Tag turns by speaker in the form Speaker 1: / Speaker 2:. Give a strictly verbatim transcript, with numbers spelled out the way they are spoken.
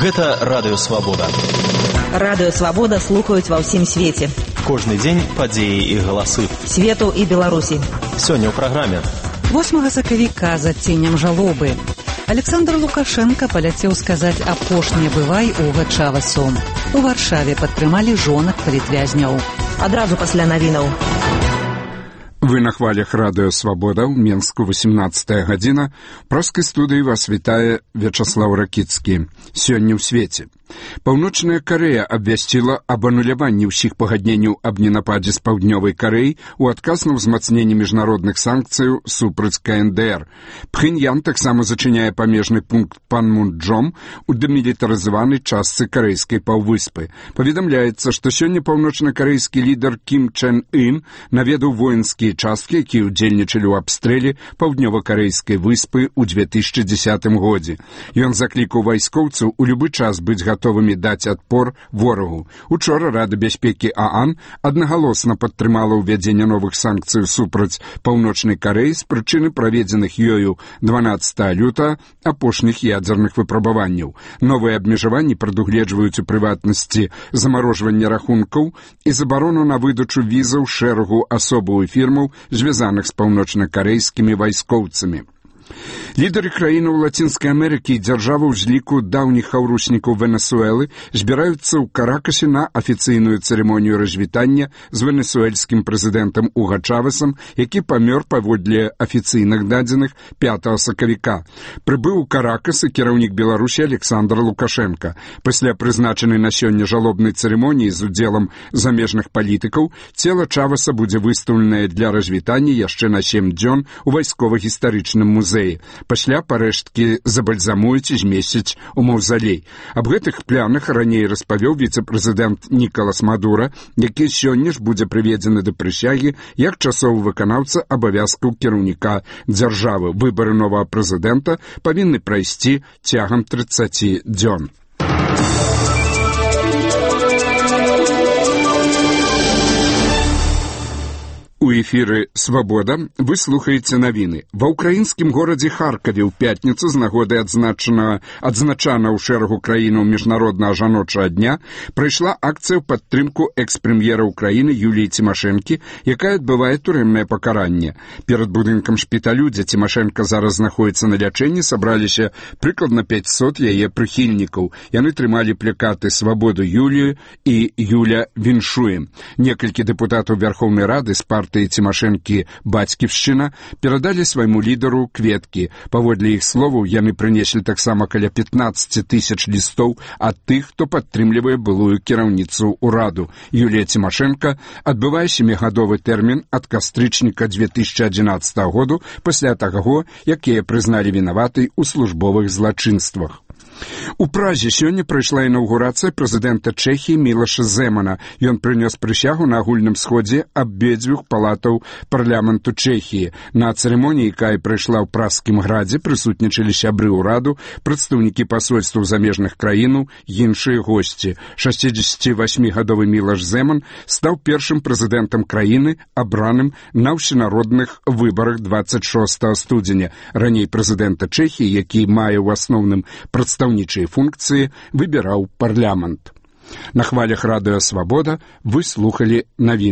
Speaker 1: Гэта Радыё Свабода.
Speaker 2: Радыё Свабода слухаюць ва ўсім свеце.
Speaker 1: Кожны дзень падзеі і галасы.
Speaker 2: Свету і Беларусі.
Speaker 1: Сёння ў праграме.
Speaker 3: восьмага сакавіка з адценнем жалобы. Александр Лукашенко паляцеў сказаць апошняе бывай у Гачавасу. У Варшаве падтрымалі жонак палітвязняў.
Speaker 2: Адразу пасля навінаў.
Speaker 4: Вы на хвалях Радыё Свабода, ў Менску, восемнадцатая гадзіна. Праскай студыі вас вітае Вячаслаў Ракіцкі. Сёння ў свеце. Паўночная Карэя абвясціла аб ануляванні ўсіх пагадненняў аб ненападзе з паўднёвай Карэі ў адказ на ўзмацненне міжнародных санкцыяў супраць ка эн дэ эр. Пхеньян таксама зачыняе памежны пункт Панмунджом у дэмілітарызаванай частцы карэйскай паўвыспы. Паведамляецца, што сёння паўночна-карэйскі лідар Кім Чен Ын наведаў воінскія часткі, якія ўдзельнічалі ў абстрэле паўднёва-карэйскай выспы ў две тысячы дзесятым годзе. Ён заклікаў вайскоўцаў у любы час быць гатовымі даць адпор ворагу. Учора Рада бяспекі ААН аднагалосна падтрымала ўвядзенне новых санкцый супраць паўночнай Карэі з прычыны праведзеных ёю дванаццатага лютага апошніх ядзерных выпрабаванняў. Новыя абмежаванні прадугледжваюць у прыватнасці замарожванне рахункаў і забарону на выдачу візаў шэрагу асобаў і фірмаў, звязаных з паўночна-карэйскімі вайскоўцамі. Лідары краінаў Лацінскай Амерыкі і дзяржаваў з ліку даўніх хаўруснікаў Венесуэлы збіраюцца ў Каракасе на афіцыйную цырымонію развітання з венесуэльскім прэзідэнтам Уга Чавесам, які памёр паводле афіцыйных дадзеных пятага сакавіка. Прыбыў у Каракас і кіраўнік Беларусі Александр Лукашенко. Пасля прызначанай на сёння жалобнай цырымоніі з удзелам замежных палітыкаў цела Чавеса будзе выстаўленае для развітання яшчэ на сем дзён у вайскова-гістарычным музеі. Пасля парэшткі забальзамуюць і змесцяць у маўзалей. Аб гэтых планах раней распавёў віцэ-прэзідэнт Нікалас Мадура, які сёння ж будзе прыведзены да прысягі як часовы выканаўца абавязкаў кіраўніка дзяржавы. Выбары новага прэзідэнта павінны прайсці цягам трыццаці дзён. У эфіры «Свабода» вы слухаеце навіны. Ва ўкраінскім горадзе Харкаве ў пятніцу з нагоды адзначанага адзначана ў шэрагу краінаў міжнароднага жаночага дня прайшла акцыя ў падтрымку экс-прэм'ера ўкраіны Юліі Цімашэнкі, якая адбывае турэмнае пакаранне. Перад будынкам шпіталю, дзе Цімашэнка зараз знаходзіцца на лячэнні, сабраліся прыкладна пяцьсот яе прыхільнікаў. Яны трымалі плакаты «Свабоду Юлію» і «Юля віншуем». Некалькі дэпутатаў Вярхоўнай Рады з партыі Цімашэнкі «Бацьківшчына» перадалі свайму лідару кветкі. Паводле іх словаў, яны прынеслі таксама каля пятнаццаць тысяч лістоў ад тых, хто падтрымлівае былую кіраўніцу ўраду. Юлія Цімашэнка адбывае сямігадовы тэрмін ад кастрычніка две тысячы адзінаццатага году пасля таго, як яе прызналі вінаватай у службовых злачынствах. У Празе сёння прайшла інаўгурацыя прэзідэнта Чэхіі Мілаша Зэмана. Ён прынёс прысягу на агульным сходзе абедзвюх палатаў парламенту Чэхіі. На цырымоніі, якая прайшла ў Празскім градзе, прысутнічалі сябры ўраду, прадстаўнікі пасольстваў замежных краінаў, іншыя госці. шасцідзесяцівасьмігадовы Мілаш Зэман стаў першым прэзідэнтам краіны, абраным на ўсенародных выбарах дваццаць шостага студзеня. Раней прэзідэнта Чэхіі, які мае ў асноўным прадстаўнічыя функцыі, выбіраў парламент. На хвалях Радыё Свабода вы слухалі навіны.